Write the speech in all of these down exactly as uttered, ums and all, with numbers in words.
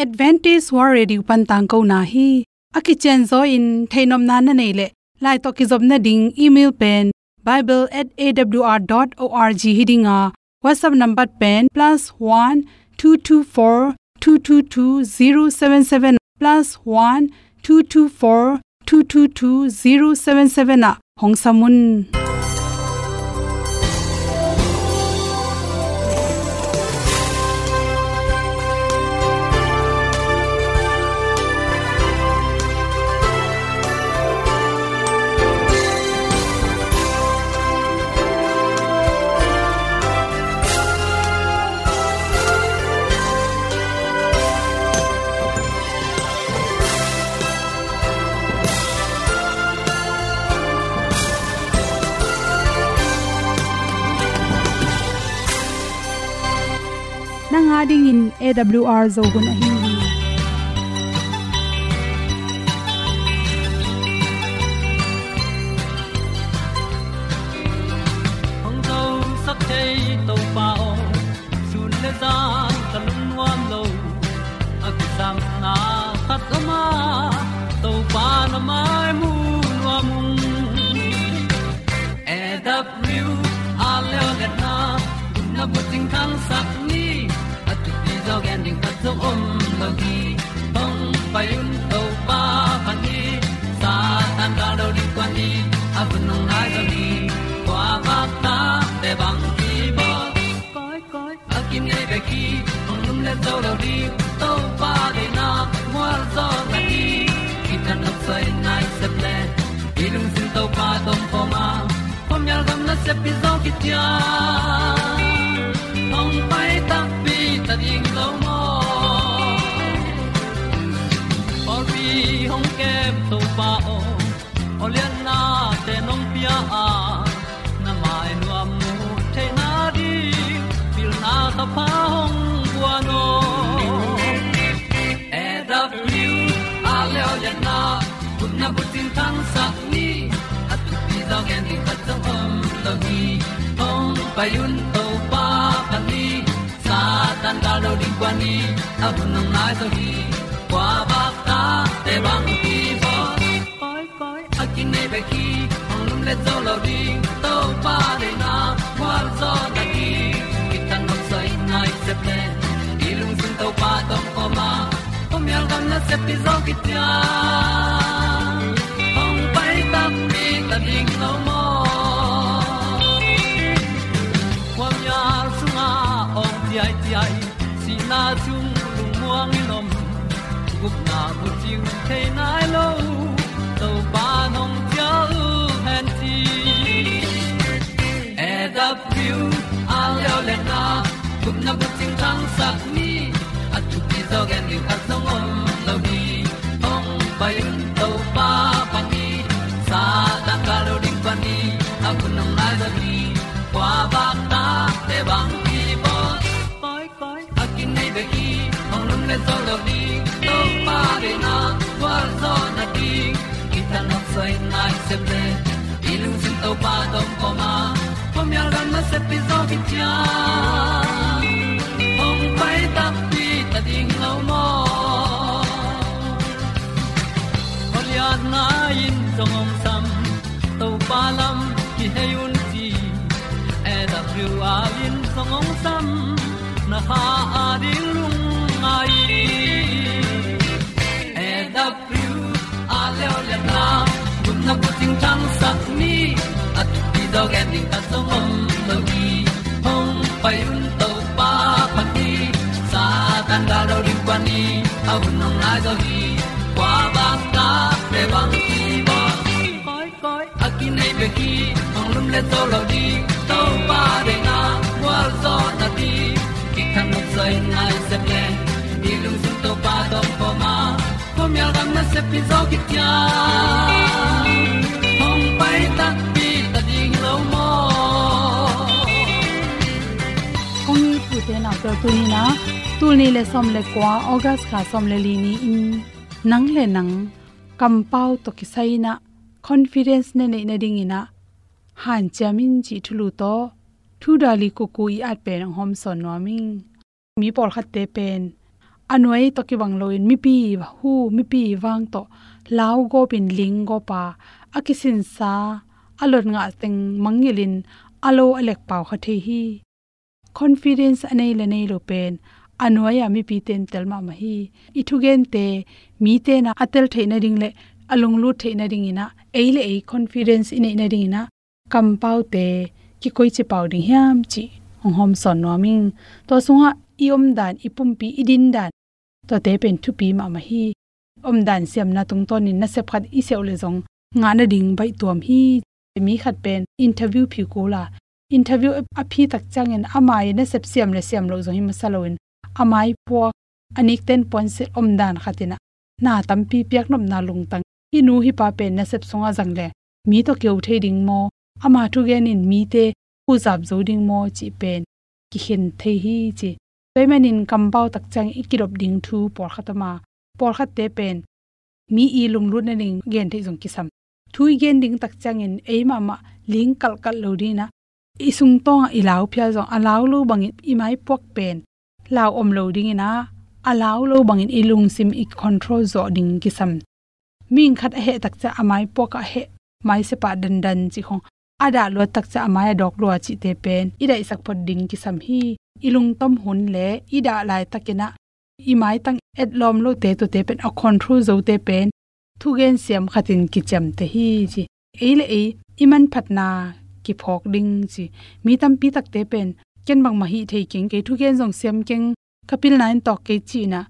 Adventist World Radio pan tangkona hi. A kicianzaw in theihnopna na neih leh, lai tawh kizopna ding email pen bible at A W R dot org hi ding a, WhatsApp number pen plus one two two four two two two zero seven seven, plus one two two four two two two zero seven seven ah hong sam un. Nang a dingin A W R Zo hun ahi hi. Hong zosak thei Topa aw, sun le zan ka lungnuam lo. A kisapna khat om a, Topa na mai mu nuam ung. A W R leo liatna, gupna bucing thangsak ni. A thupi zaw gen ding khat zong om lo hi. Hong pai un Topa phat ni. Satan gal do ding kuan ni. A hun hong nai zaw ni. Kua bak ta te bang ki bawl. Koi, koi, a kinei bek hi, hong lum le zo lo ding, Topa deihna, mual zaw na ding, kithat nop soi nai sep le, i lungsim Topa tawh om khawm a, khuamial gam nasep pi zaw kician, hong pai takpi ta ding lo maw. Pawlpi hong kem Topa aw, aw liannate nong pia a, na mai nuam mu theihna ding, pilna thapha hong guan aw. A W R leo liatna, gupna bucing thangsak ni. A thupi zaw gen ding khat zong om lo hi. Hong pai un Topa phat ni. Satan gal do ding kuan ni. A hun hong nai zaw hi. Kua bak ta te bang ki bawl. Koi, koi, a kinei bek hi, hong lum le zo lo ding, Topa deihna, mual zaw na ding, kithat nop soi nai sep le, i lungsim Topa tawh om khawm a, khuamial gam nasep pi zaw kician, hong pai takpi ta ding lo maw. Khuamial sungah awng ciaiciai, sihna sung lungmuang in om, gupna bucing thei nai lo, Topa nong cial hen ci. A W R leo liatna, gupna bucing thangsak ni. A thupi zaw gen ding khat zong om lo hi. Hong pai un Topa phat ni. Satan gal do ding kuan ni. A hun hong nai zaw hi. Kua bak ta te bang ki bawl. Koi, koi, a kinei bek hi, hong lum le zo lo ding, Topa deihna, gualzawhna ding, kithat nop soi nai sep le, i lungsim Topa tawh om khawm a, khuamial gam nasep pi zaw kician, hong pai takpi ta ding lo maw. Khualiatna in zong hong sam, Topa lam kihei un ci, A W R in zong hong sam, na kha a ding lungngai. A W R leo liatna, gupna bucing thangsak ni, a thupi zaw gen ding khat zong om lo hi. Hong pai un Topa phat ni, Satan gal do ding kuan ni, a hun hong nai zaw hi. Kua bak ta te bang ki bawl. Koi, koi, a kinei bek hi, hong lum le zo lo ding, Topa deihna, gualzawhna ding, kithat nop soi nai sep le, i lungsim Topa tawh om khawm a, khuamial gam nasep pi zaw kician, hong pai takpi ta ding lo maw. Kong it u te nau te, tuni in ah, tul nih le sawm le kua, August kha sawm le li ni-in, nang le nang kampau tawh kisai in ah confidence na neih nadingin ah hanciam in cih thulu tawh, Thu Dali Kuku i at pen hong hawmsawn nuam ing. Mi pawlkhatte pen a nuai tawh kibang loin mipi hu, mipi vang tawh lau gawpin ling gawpa, a kisinsa, a lot ngah teng mangngilhin a lo a lek pau kha thei hi. Confidence a nei le nei lo pen a nuai-a mipite in tel mahmah hi. I thugente mite na a tel theih nading le a lunglut theih nadingin ah, ei le ei confidence i neih nadingin ah, kampaute kikoici pau ding hiam cih hong hawmsawn nuam ing. Tua sungah i omdan, i pumpi, i dindan, tuate pen thupi mahmah hi. Omdan siamna tungtawnin nasep khat i siauh le zong ngah nading baihtuam hi. Mi khat pen interview phi kul a, interview a phi tak ciangin ama i nasep siam le siam loh zong hi masa loin, a maipuak, a nikten puansilh omdan khatin ah, na tampi piaknopna lungtang, hih nu hih pa pen nasep sungah zang le mi tawh kiho thei ding maw, ama thugen in mite huzap zo ding maw cih pen kikhen thei hi ci. Tua ahih manin kampau tak ciangin i kidop ding thu pawlkhat om a, pawlkhatte pen mi i lunglut nading gen theih zong kisam. Thu i gen ding tak ciangin ei mahmah ling kalkal lo dingin ah, i sungtawngah i lau phial zong a lau lo bangin i maipuak pen lau om lo dingin ah, a lau lo bangin i lungsim i control zawh ding kisam. Mihing khat a heh tak ciang a maipuak ah heh, maisepah dandan cih khong, a dah luat tak ciang a mai a dawk lua cihte pen i daihsak phot ding kisam hi. I lungtom hun le i dah laitakin ah i maitang etlawm lote, tuate pen a control zote pen thugen siam khatin kiciamteh hi ci. Ei le ei i manphatna kiphawk ding ci. Mi tampi takte pen ken bangmah hih thei keng, kei thugen zong siam keng, ka pilna in tawk kei ci-in ah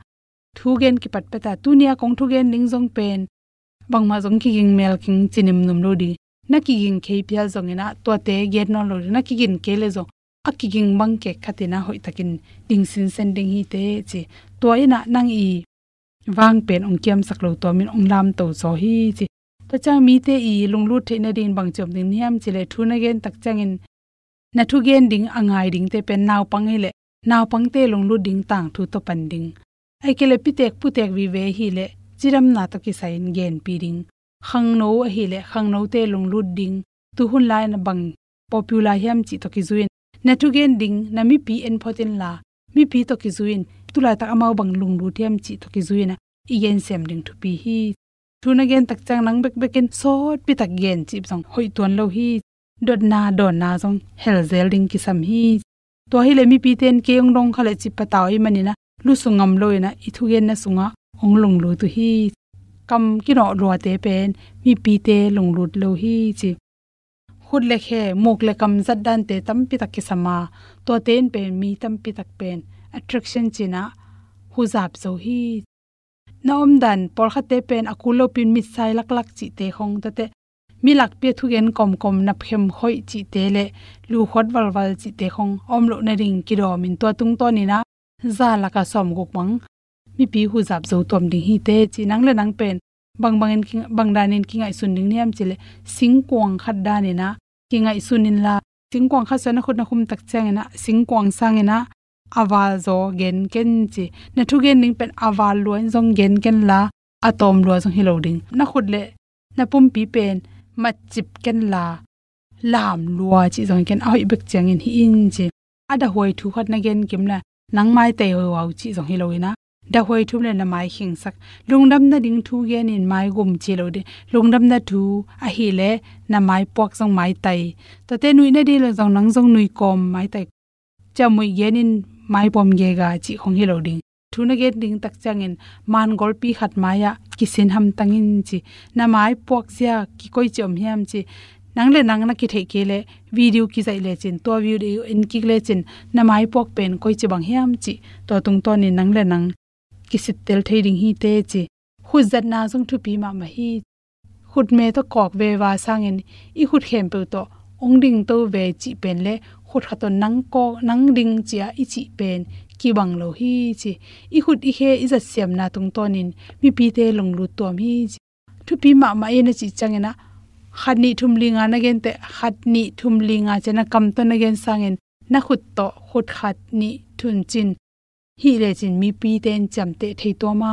thugen kipatpet a, tuni-a kong thugen ding zong pen bangmah zong kiging mel keng ci nimnum lo ding. Na kiging kei phial zongin ah tuate gen nawn lo ding, na kiging kei le zong a kiging bang kek khatin ah hoihtakin ding sinsen ding hi teh ci. Tua in ah nang i vang pen hong kiamsak lo tuamin hong lamto zaw hi ci. Tua ciang mite i lunglut theih nadingin bangci om ding hiam cih leh, thu na gen tak ciangin na thugen ding a ngai dingte pen naupang hi leh naupangte lunglut ding tangthu tawh pan ding. Ahih kei leh pitek putek vive hi leh cidamna tawh kisai-in genpih ding. Khangno ahih leh khangnote lunglut ding. Tuhun lai-in bang popular hiam cih tawh kizui-in na thugen ding, na mipi en phot inla, mipi tawh kizui-in tulaitak amau bang lunglut hiam cih tawh kizui-in ah i gensiam ding thupi hi. Thu na gen tak ciang nang bekbekin sawtpi tak gen cih zong hoih tuan lo hi. Dotna dawnna zong helzel ding kisam hi. Tua hi leh mipite in kei hong dong kha leh cih patau ahih manin ah lusu ngam loin ah i thugenna sungah hong lunglut uh hi. Kam kinawh luate pen mipite lunglut lo hi ci. Khut le khe, muk le kam zat dante tampi tak kisam a, tuate in pen mi tampi tak pen attraction ci-in ah huzap zo hi. Na omdan pawlkhatte pen a kul lopin mitsai laklak cihte khong, tuate mi lakpi a thugen kawmkawm, napkhem khoih cihte le lukhawt valval cihte khong a om loh nading kidawmin tua tungtawnin ah za lakah sawmguk bang mipi huzap zo tuam ding hi teh ci. Nang le nang pen bangbangin ki, bangdanin kingaihsun ding hiam cih leh singkuang khat danin ah kingaihsun inla, singkuang khat sungah na khut na khum tak ciangin ah singkuang sangin ah a val zaw gen ken ci. Na thugen ding pen a val lua in zong gen kenla, a tawm lua zong hi lo ding. Na khut le na pumpi pen matcip kenla, lam lua cih zong hi ken, a hoih bek ciangin hi in ci. A dahuai thu khat na gen kim le nang maitai huauhuau cih zong hi loin ah, dahuai thu le na mai khingsak. Lungdam nading thu genin mai gum ci lo ding. Lungdamna thu ahih leh na maipuak zong maitai. Tuate nuih nading le zong nang zong nuih kawm maitai. Ciamnuih genin maipawm gega cih khong hi lo ding. Thu na gen ding tak ciangin mangolpi khat mai-ah kisin hamtang in ci. Na maipuak zia kikoici om hiam ci. Nang le nang na kitheih kei leh video kizaih lecin, tua video en kik lecin, na maipuak pen koici bang hiam cih tua tungtawnin nang le nang kisittel thei ding hi teh ci. Khut zatna zong thupi mahmah hi. Khutme tawh kawk veva sangin i khut khempeuh tawh hong dingto ve cih pen le khut khat tawh nang kawk, nang ding ci-a i cih pen kibang lo hi ci. I khut i khe i zatsiamna tungtawnin mipite lunglut tuam hi ci. Thupi mahmah hi na cih ciangin ah, khat nih thum li nga na gen teh, khat nih thum li nga ci-a na kam tawh na gen sangin na khut tawh khut khat nih thun cin hih lecin mipite in ciamteh thei tuam a.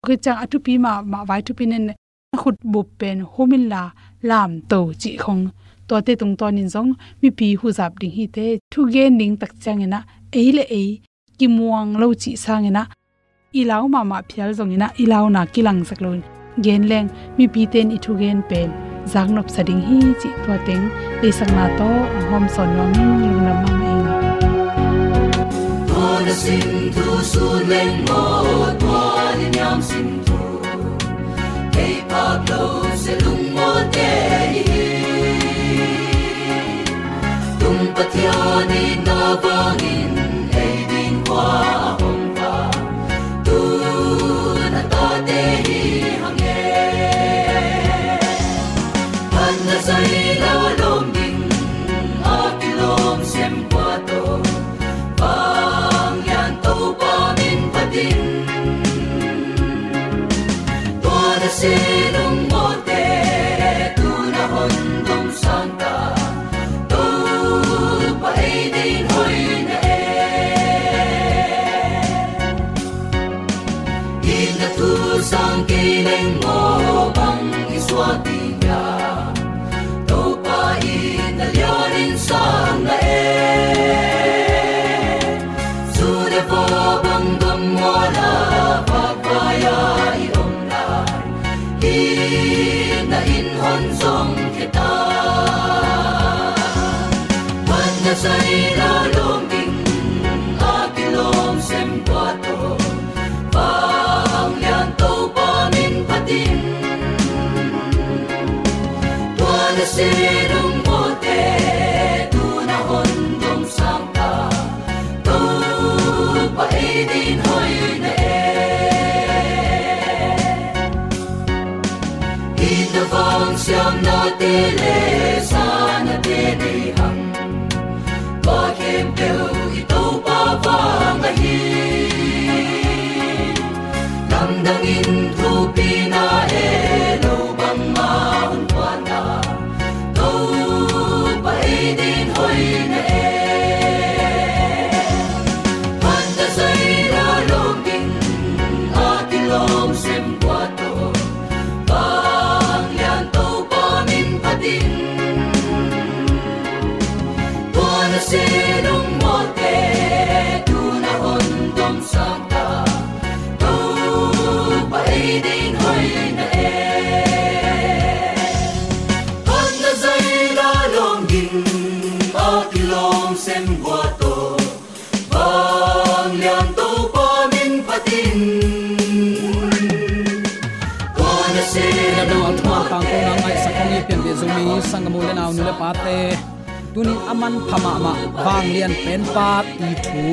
Khit ciang a thupi mahmah vai thupi nen, na khut bup pen hum inla lamto cih khong, tuate tungtawnin zong mipi huzap ding hi teh. Thugen ding tak ciangin ah ei le ei kimuang lo cih sangin ah i lau mahmah phial zongin ah i launa kilangsak loin gen leng mipite in i thugen pen zaknopsa ding hi cih tua teng deihsakna tawh a hawmsawn nuamin lungdam mahmah ing. Tua na sin thu sun leng maw, tua na niam sin thu kei phak lo se lungmawte hi. Tung Pathian in na vangin ei ding hua a hong pha, tu na tate hi hang e. Phat na zai la lawm ding a kilawm sem kua tawh, Vanglian Topa min phatin. Tua na se lungmawte tu na hon dom sang ta, Topa ei din hoih na e. Itna thu sang kei leng maw, bang i suak ding hiam? Topa itna lianin sang na e. Zu le vua bang gam mual a, vakvai-a i om lai, itna in hon zong khia ta. Phat na zai la lawm ding a kilawm sem kua tawh, Vanglian Topa min phatin. Tua na se lungmawte tu na hon dom sang ta, Topa ei din hoih na e. Itna vang siamnate le sanate nei hang, tua khempeuh i Topa vang ahi. Lamdangin thupina e, lo bangmah hong puanna, Topa ei din hoih na e. Phat na zai la lawm ding a kilawm sem kua tawh, Vanglian Topa min phatin. Tua na se lungmawte tu na hon dom sang ta, Topa ei din hoih na e. Phat na zai la lawm ding a kilawm sem kua tawh, Vanglian Topa min phatin. Tua na se lungmawte. A dang a thuman tangkona ngaihsak kong i pianpih Zomi sanggam u le nau, nu le pate, tunin a manpha mahmah Vanglian Penpa i thu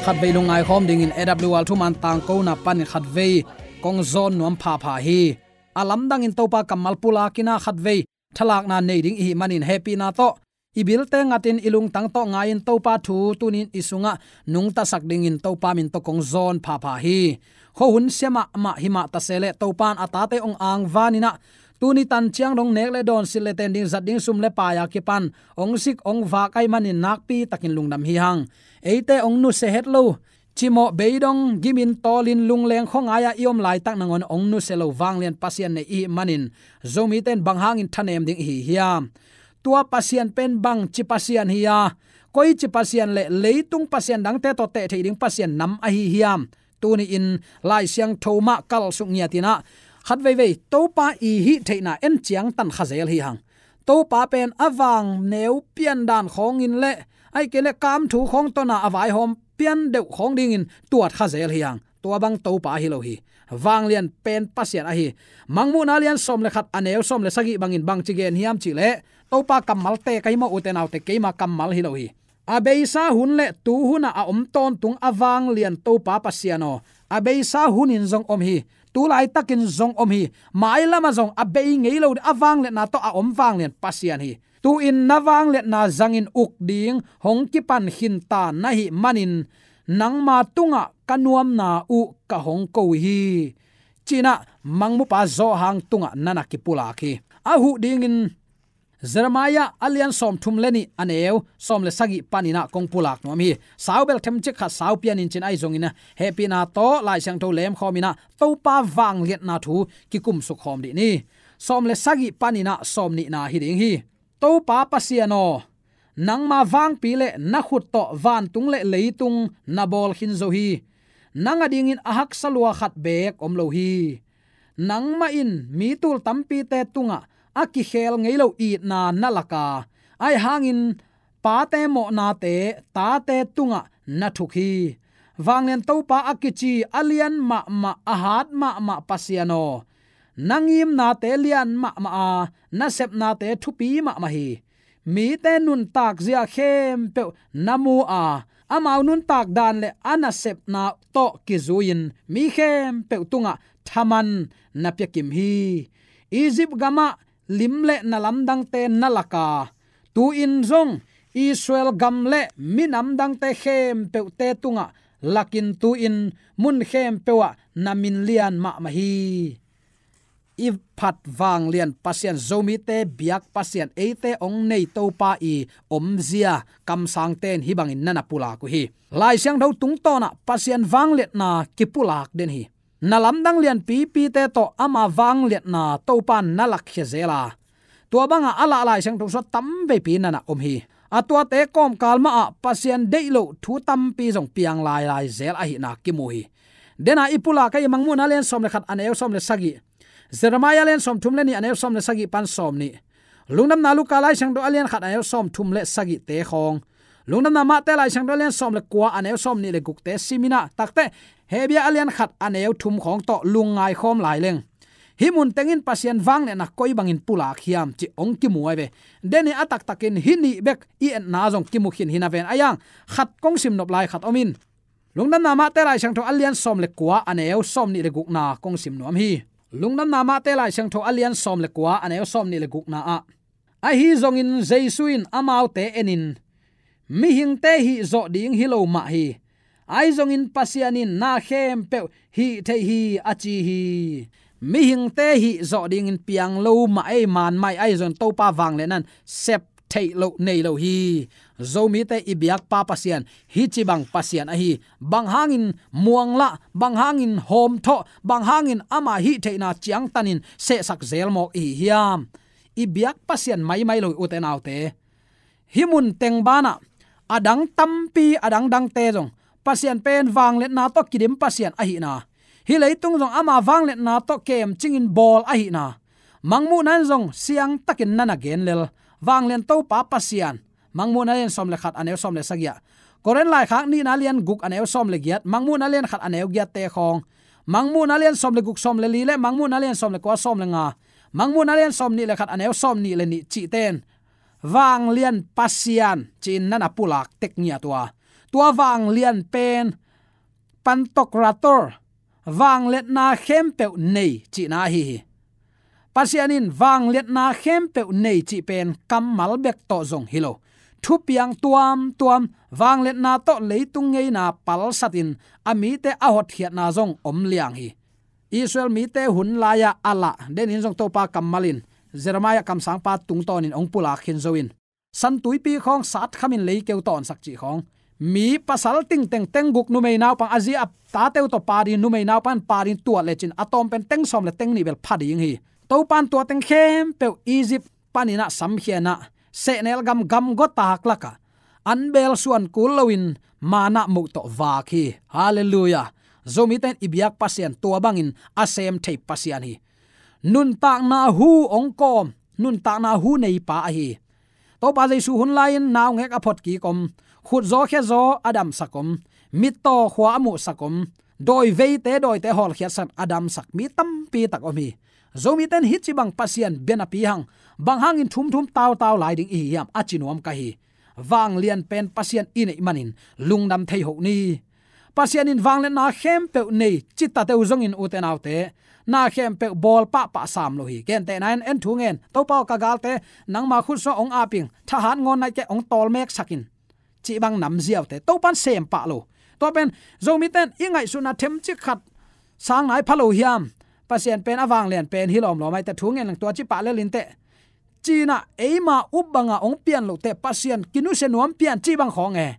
khatvei lungngai khawm dingin A W R thuman tangkona panin khatvei kong zawn nuam phapha hi. A lamdangin Topa kammal pulakin ah khatvei thalakna nei ding i hih manin hehpihna tawh i bilte ngatin i lungtang tawh ngai-in Topa thu tunin i sungah nungtasak dingin Topa min tawh kong zawn phapha hi. Khuahun sia mahmah hi mah ta se leh Topa in a tate hong angvanin ah tuni tan ciang dong nek le dawn, silh le ten ding, zat ding sum le pai a kipan hong sik hong vak ahih manin nakpi takin lungdam hi hang. Eite hong nusia het lo, cimawh beidong gimin tawlin lungleng khuangai-ah i om laitak nangawn hong nusia lo Vanglian Pasian nei i hih manin Zomite in bang hangin thanem ding i hi hiam? Tua Pasian pen bangci Pasian hi a, koici Pasian le leitung pasian dangte tawh teh theih ding Pasian nam ahi hiam? Tuni-in Lai Siangtho mah kalsuk ngiatin ah khat veivei Topa i hih theihna en ciangtan kha zel hi hang. Topa pen a vangneu piandan khawngin le ahih kei leh kamthu khawng tawh na a vaihawm pian deuh khawng dingin tuat kha zel hi hang. Tua bang Topa ahi lo hi. Vanglian pen Pasian ahi. Mangmuhna lian sawm le khat, a neu sawm le sagih bangin bangci gen hiam cih leh, Topa kammalte ka hi maw, ute naute, keima kammal hi lo hi. A beisa hun le tu hunah a om tawntung a vanglian Topa Pasian aw, a beisa hunin zong om hi. Tu laitakin zong om hi. Mailamah zong a bei ngei lo ding, a vangliatna tawh a om vanglian Pasian hi. Tu-in na vangliatna zangin uk ding hong kipan khinta na hih manin nangma tungah ka nuamna uh ka hong ko hi, ci-in ah Mangmupa Johan tungah na na kipulak hi. A huh dingin Jeremiah a lian sawmthum le nih, a neu sawm le sagih panin ah kong pulak nuam hi. Sau bel themcik khat sau pianin cin ahi zongin ah hehpihna tawh Lai Siangtho lemkhawmin ah Topa vangliatna thu kikumsuk khawm dih ni. Sawm le sagih panin ah sawmnihna hi ding hi. Topa Pasian aw, nangma vangpi le na khut tawh vantung le leitung na bawl khin zo hi. nang adingin a haksa lua khat beek om lo hi. Nangmah in mi tul tampite tungah a kikhel ngei lo itna na lak a, ahi hangin pate mawhnate tate tungah na thuk hi. Vanglian Topa a kici a lian mahmah, a hat mahmah Pasian aw, na ngimnate lian mahmah a, na sepnate thupi mahmah hi. Mite nuntak zia khempeuh na mu a, amau nuntak dan le a nasepna tawh kizui-in mi khempeuh tungah thaman na piakim hi. Egypt gamah lim le na lamdangte na lak a, tu-in zong Israel gam le minam dangte khempeuhte tungah lakin tu-in mun khempeuh ah na min lian mahmah hi. I phat vanglian Pasian, Zomite biak Pasian, eite hong nei Topa i omzia kamsangte in hih bangin na na pulak uh hi. Lai Siangtho tungtawnah Pasian vangliatna kipulak den hi. Na lamdang lianpipite tawh ama vangliatna Topa in na lakkhia zel a, tua banga a lah Lai Siangtho sua tamveipi na na om hi. A tuate kawmkal mahah Pasian deih loh thu tampi zong piang lailai zel ahihna kimu hi. Dena i pulak ahi Mangmuhna lian sawm le khat a neu sawm le sagih, Jeremiah lian sawm thum le nih a neu sawm le sagih pan sawm nih, Lungdamna Luka Lai Siangtho a lian khat a neu sawm thum le sagihte khawng, Lungdamna Mate Lai Siangtho a lian sawm le kua a neu sawm nih le gukte simin ah takte, Hebru a lian khat a neu thum khawng tawh lungngai khawm lai leng, hih mun tengin Pasian vangliatna koi bangin pulak hiam cih hong kimu ahi ve. Deni a taktakin hih nih bek i etna zong kimu khin hi na ven a, iang khat kong sim nop lai khat om in. Lungdamna Mate Lai Siangtho a lian sawm le kua a neu sawm nih le gukna kong sim nuam hi. Lungdamna Mate Lai Siangtho a lian sawm le kua a neu sawm nih le gukna ah, ahi zongin Jesu in amaute enin, mihingte hih zawh ding hi lo mah hi. Ahi zongin Pasian in na khempeuh hih thei hi a ci hi. Mihingte hih zawh dingin piang lo mah ei, man mah ei, ahi zongin Topa vangliatna in sep theih loh nei lo hi. Zomite i biakpa Pasian hih ci bang Pasian ahi. Bang hangin muanglah, bang hangin hawmthawh, bang hangin ama hih theihna ciangtanin sehsak zel mawk i hi hiam? I biak Pasian maimai lo hi ute naute. Hih mun teng banah a dang tampi, a dangdangte zong Pasian pen vangliatna tawh kidim Pasian ahihna, hih leitung zong ama vangliatna tawh kemcingin bawl ahihna, Mangmuhna in zong siangtakin na na gen lel. Vanglian Topa Pasian, Mangmuhna lian sawm le khat a neu sawm le sagih ah, Korin laikhak nihna lian guk a neu sawm le giat, Mangmuhna lian khat a neu giatte khawng, Mangmuhna lian sawm le guk sawm le li le Mangmuhna lian sawm le kua sawm le nga, Mangmuhna lian sawm nih le khat a neu sawm nih le nih cihte in vanglian Pasian ci-in na na pulak tek ngiat uh a, tua vanglian pen Pantokrator, vangliatna khempeuh nei cihna ahi hi. Pasian in vangliatna khempeuh nei cih pen kammal bek tawh zong hi lo. Thupiang tuamtuam, vangliatna tawh leitung ngeina palsatin a mite a hotkhiatna zong om liang hi. Israel mite hun lai-ah a lah denin zong Topa kammal in Jeremiah kamsangpa tungtawnin hong pulak khin zo in, San Tuipi khawng sat khamin leikeu tawnsak cih khawng, mi pasal tingteng teng guk, numei naupang a zi a tate uh tawh pha ding, numei naupang in pha ding tuat lecin a tawm pen teng sawm le teng nih bel pha ding hi. Topa in tua teng khempeuh Egypt panin ah samkhia in ah, sehnel gam, gamgua tak lakah an beel suan kul loin manna moh tawh vak hi. Halleluiah. Zomite in i biak Pasian tua bangin a sem thei Pasian hi. Nuntakna hu hong kawm, nuntakna hu neipa ahi. Topa Jesu hun lai-in naungek a photkik om, khutzaw khezaw a damsak om, mittaw khua a muhsak om, dawi veite dawite hawlkhiatsak a damsak mi tampi tak om hi. Zomite in hih ci bang Pasian bia napi hang, bang hangin thumthum tautau lai ding i hi hiam a ci nuam ka hi. Vanglian pen Pasian i neih manin lungdam thei hoh ni. Pasian in vangliatna khempeuh nei ci ta teuh zongin ute naute, na khempeuh bawl pahpah sam lo hi. Gentehna in, en thu ngen, Topa aw, ka galte nangma khutsuah hong ap ing, thahat ngawn nai kei, hong tawlmeksak in, cih bang nam ziaute Topa in sem pah lo. Tua pen Zomite in i ngaihsutna themcik khat sang nai pha lo hiam? Pasian pen a vanglian pen hi lawmlawm ahi teh, thu ngen leng tua ci pah lel in teh, ci-in ah eima up banga hong pian loh teh, Pasian kinusia nuam pian cih bang khawng e,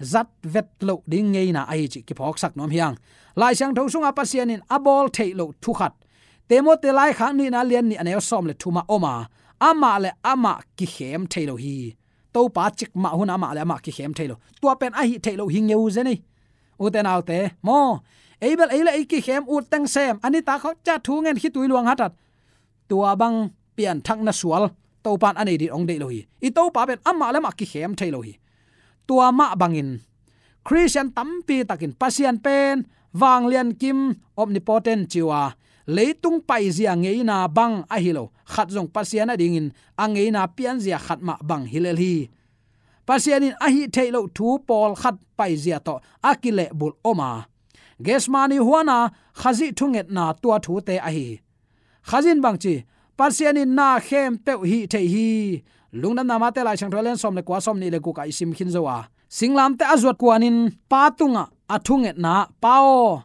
zat vet loh ding ngeina ahi cih kiphawksak nuam hi hang. Lai Siangtho sunga Pasian in a bawl theih loh thu khat, Timoti laikhak nihna lian nih a neu sawm le thum ah om a, amah le amah kikhem thei lo hi. Topa cikmah hun amah le amah kikhem thei lo. Tua pen a hih theih loh hi ngeu zen ei. Ute naute maw, ei bel ei le ei kikhem, ut teng sem, a nitak khawng ciah thu ngen, khitui luang hatat, tua bang pianthakna sual Topan a nei ding hong deih lo hi. I Topa pen amah le amah kikhem thei lo hi. Tua mah bangin Khristian tampi takin Pasian pen vanglian kim, omnipotent ci uh a, leitung paizia ngeina bang ahi lo, khat zong Pasian a dingin a ngeina pianzia khat mah bang hi lel hi. Pasian in a hih theih loh thu pawlkhat paizia tawh a kilehbulh om a, Gethsemane huana Khazih thungetna tua thute ahi hi. Khazih in bang ci? Pasian in na khempeuh hih thei hi. Lungdamna Mate Lai Siangtho a lian sawm le kua, sawm nih le guk ah i sim khin zo a, singlamteh a zuat kuanin Pa tungah a thungetna ah, Pa aw,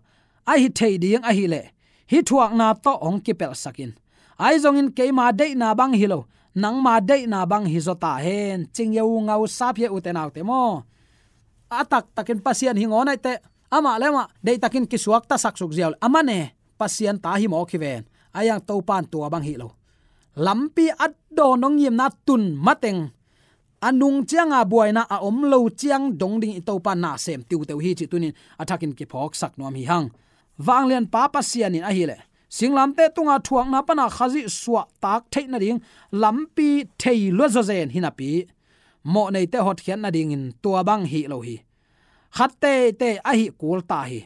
a hih thei ding ahih leh hih thuakna tawh hong kipelhsak in. Ahi zongin keima deihna bang hi lo, nangma deihna bang hi zaw ta hen. Cing yo ngau sap hi, ute naute maw. A taktakin Pasian hi ngawn ahih teh, amah le amah deihtakin kisuaktasak suk ziau leh a man e, Pasian ta hi mawk hi ven. Ahi zongin Topan tua bang hi lo, lampi a dawn hong ngimna tun mateng, a nung cianga buaina a om lo ciang dong dingin i Topan na sem tiuteu hi cih tunin a thakin kiphawksak nuam hi hang. Vanglianpa Pasian in ahih leh singlamteh tunga thuakna pana Khazih suahtak theih nading lampi thei lua zawzen hi napi, mawhneite hotkhiat nadingin tua bang hi lo hi. Khat teitei a hih kul ta hi.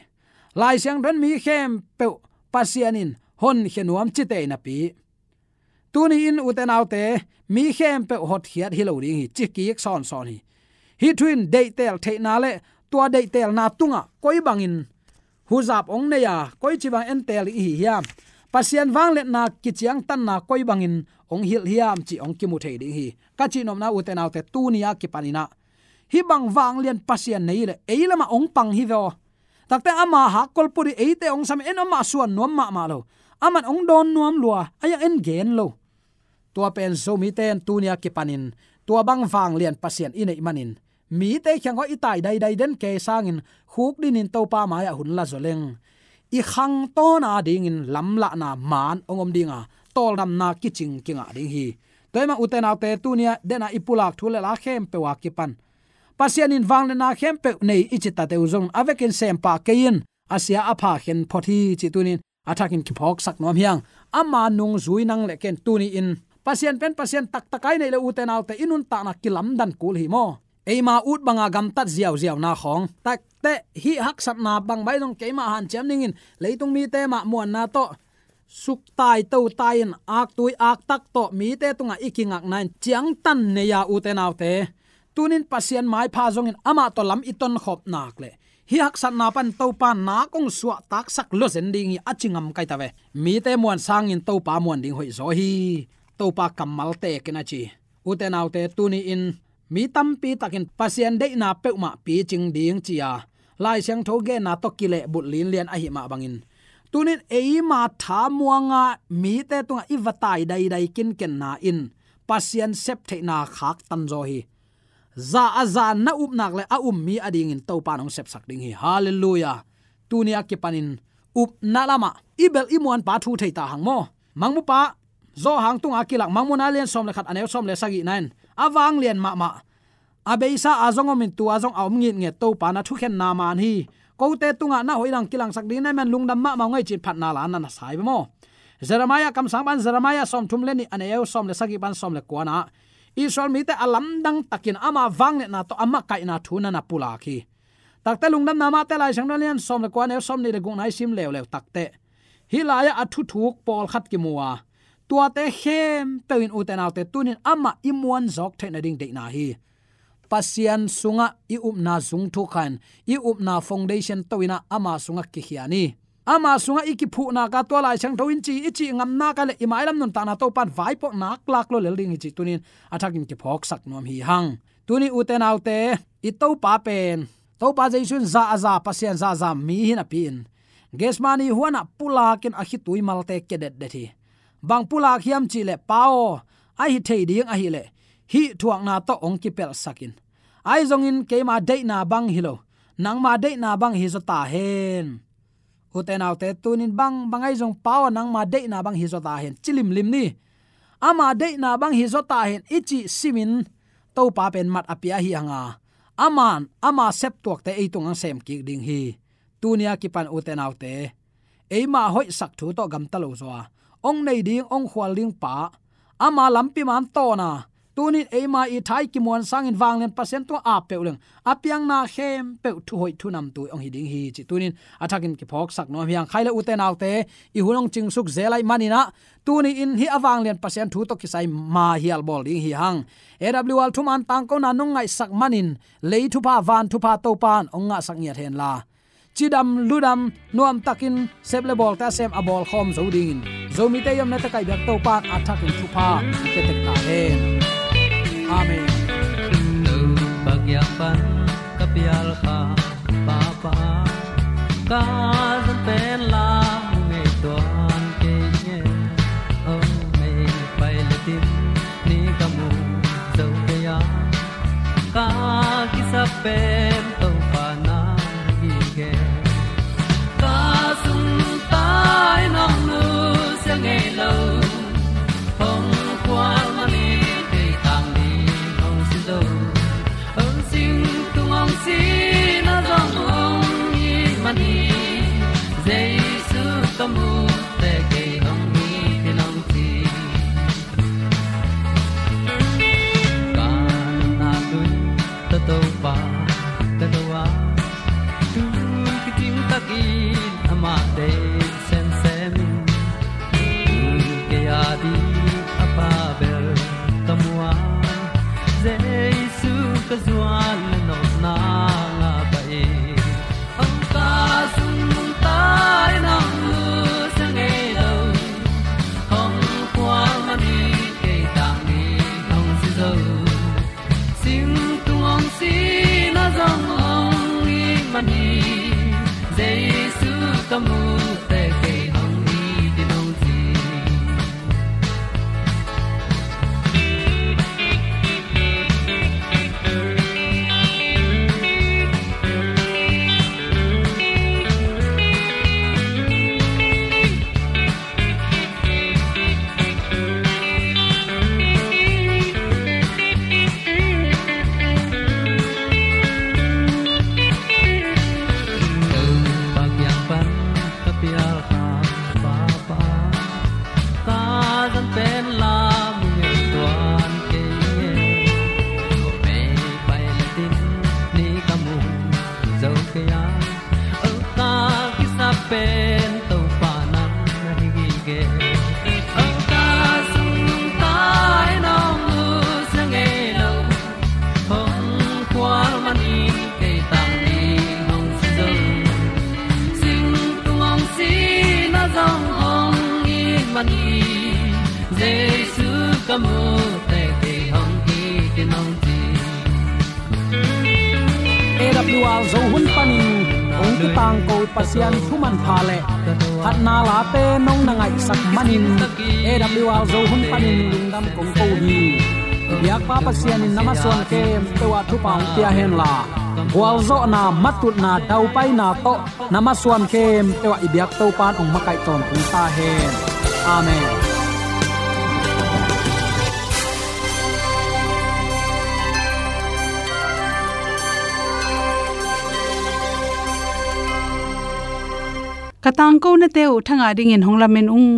Lai Siangtho in mi khempeuh Pasian in honkhia nuam ci tei napi, tuni-in ute naute, mi khempeuh hotkhiat hi lo ding hi, ci kik sawnsawn hi. Hih thu in deihteel theihna le tua deihteelna tungah koi bangin huzap hong nei a, koici bang entel i hi hiam? Pasian vangliatna kiciangtanna koi bangin hong hilh hiam cih hong kimu thei ding hi. Ka cihnopna, ute naute, tuni a kipanin ah hih bang vanglian Pasian nei leh ei lamah hong pang hi ve aw. Takte ama hakkol put hi, eite hong sam, en amah suan nuam mahmah lo. Aman hong dawn nuam lua, a yang en gen lo. Tua pen Zomite in tuni a kipanin tua bang vanglian Pasian i neih manin mite kiangah i tai daidai den kei sangin khukdinin Topa mai-ah hun la zaw leng, i khangtawn a dingin lamlahna maan hong om ding a, tawldamna kicing kingah ding hi. Tua ahih manin ute naute, tuni a dena i pulak thu le la khempeuh a kipan Pasian in vangliatna khempeuh nei i ci tate uh zong a vekin sem pah kei in, a sia a pha khen phot hi cih tunin a thakin kiphawksak nuam hi hang. Ama nungzui nang le ken tuni-in Pasian pen Pasian taktak a i neih leh, ute naute, i nuntakna kilamdan kul hi maw. Eima ut banga gamtat ziauziauna khawng, takte hih haksatna bang bang zong keimah hanciam dingin leitung mite mah muanna tawh suktai totai in, aktui aktak tawh mite tungah i kingakna in ciangtan nei a, ute naute, tunin Pasian maipha zongin amah tawh lam i tonkhop nak leh hih haksatna pan Topa nak hong suahtaksak lua zen ding hi, a ci ngam kai ta ve. Mite muan sangin Topa muan ding hoih zaw hi. Topa kammal teek in a ci. Ute naute, tuni-in mi tampi takin Pasian deihna peuhmah picing ding ci-a Lai Siangtho genna tawh kilehbulh linlian ahih mah bangin, tunin eima tha muanga mite tungah i va tai daidai kinkenna in Pasian sep theihna khaktan zaw hi. Za a za na up nak leh a um mi a dingin Topa in hong sepsak ding hi. Halleluiah. Tuni a kipanin upna lamah i bel i muanpa thu thei ta hang maw. Mangmupa Johan tunga kilak Mangmuna lian sawm le khat, a neu sawm le sagihna in, a vanglian mahmah, a beisa a zong om in, tua zong a om ngitnget Topa na thukhenna man hi. Kote tungah na hoih dang kilangsak ding na hih man lungdam mahmah ung ei, ci-in phatna la na na sa hi ve maw. Jeremiah kamsang pan, Jeremiah sawmthum le nih, a neu sawm le sagih pan sawm le kuana, Israel mite a lamdang takin ama vangliatna tawh a makaihna thu na na pulak hi. Takte Lungdamna Mate Lai Siangtho lian sawm le kua, neu sawm nih le gukna i sim leuleu takte, hih lai-ah a thuthuk pawlkhat kimu a, tuate khempeuh in, ute naute, tunin amah i muanzawk theih nading deihna hi. Pasian sungah i upna zung thuk kha in, i upna foundation to in ah ama sungah kikhia ni. Ama sungah i kiphuh nak a, tua Lai Siangtho in ci, i cih ngam nak a leh i mailam nuntakna Topa in vaipuak nak lak lua lel ding hi cih tunin a thakin kiphawksak nuam hi hang. Tuni, ute naute, i Topa pen, Topa Jesu in za a za Pasian, za a za mi hi napi-in, Gethsemane huanah pulakin a khitui malte kia detdet hi. Bang pulak hiam cih leh, Pa aw, a hi thei ding ahih leh hih thuakna tawh hong kipelhsak in. Ahi zongin keima deihna bang hi lo, nangma deihna bang hi zaw ta hen. Ute naute, tunin bang bang ahi zong, Pa aw, nangma deihna bang hi zaw ta hen, ci limlim ni. Ama deihna bang hi zaw ta hen i cih simin Topa pen mat a pia hi hang a, aman ama septuakte ei tungah sem kik ding hi. Tuni a kipan ute naute, eima hoihsak thu tawh gamta lo zaw a, hong nei ding, hong khual ding pa, ama lampi man tawn a, tunin eima i tha i kimuan sangin vanglian Pasian tungah ap peuh leng, a piangna khempeuh thuhoih thunamtui hong hi ding hi cih tunin a thakin kiphawksak nuam hi hang. Khai le ute naute, i hun hong cingsuk zel ahih manin ah, tuni in hih a vanglian Pasian thu tawh kisai ma hial bawl ding hi hang. A W R thuman tangkona nong ngaihsak manin, lei thupha, van thupha Topan hong ngahsak ngiat hen la, cidam ludam nuamtakin sep le bawlte a sem a bawlkhawm zo dingin, Zomite i omna teh kaihbiak Topan a thakin thupha hong pia tek ta hen. Amen. Topa kiang pan ka pial kha, Papa, ka zan pen la mu ngei tuan kei nge. Oh, mei pai le tin ni ka mu zo kei a, ka kisap pen Topa na hi gen. Ka sung tai nong nusia ngei lo, hong khual manin kei tang ding hong si zo. Hong sing tung hong si na zong hong hi manin, Jesu ka mu teh kei hong hi ding hong ci. Ka nunna lui tawh Topa ka do a, tu kicing takin amah deih semsem in, tu kei a ding a pha bel ka mu a, Jesu ka zuan le nopna ngah pah in. Hong ka sung tai nong nusia ngei lo, hong khual manin kei tang ding hong si zo. Sing tung hong si na zong hong hi manin, Jesu ka mu teh kei hong hi ding hong ci. Topa kiang pan ka pial kha, Papa, ka zan pen la mu ngei tuan kei nge. Mei pai le tin ni ka mu zo kei a, oh, ka kisap pen Topa nang na hi gige. Oh, ka sung tai nong nusia ngei lo, hong khual manin kei tang ding hong si zo. Sing tung hong si na zong hong hi manin, Jesu ka mu teh kei hong hi ding hong ci. A W R Zo hun panin hong kitangko Pasian thu manpha le phatna late nong na ngaihsak manin, A W R Zo hun panin lungdam kong ko hi. Biakpa Pasian in na masuan khempeuh ah thupha hong pia hen la, gualzawhna, matutna, daupaina tawh na masuan khempeuh ah i biak Topan hong makaih tawntung ta hen. Amen. Ka tangkonate uh thangah dingin hong lamen ung.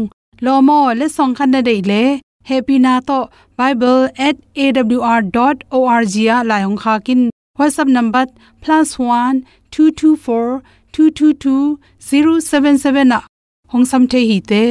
Lawm aw, letsong khat na deih leh, hehpihna tawh bible at A W R dot O R G ah lai hong khak in. WhatsApp number plus one two two four two two two zero seven seven ah hong sam thei hi te.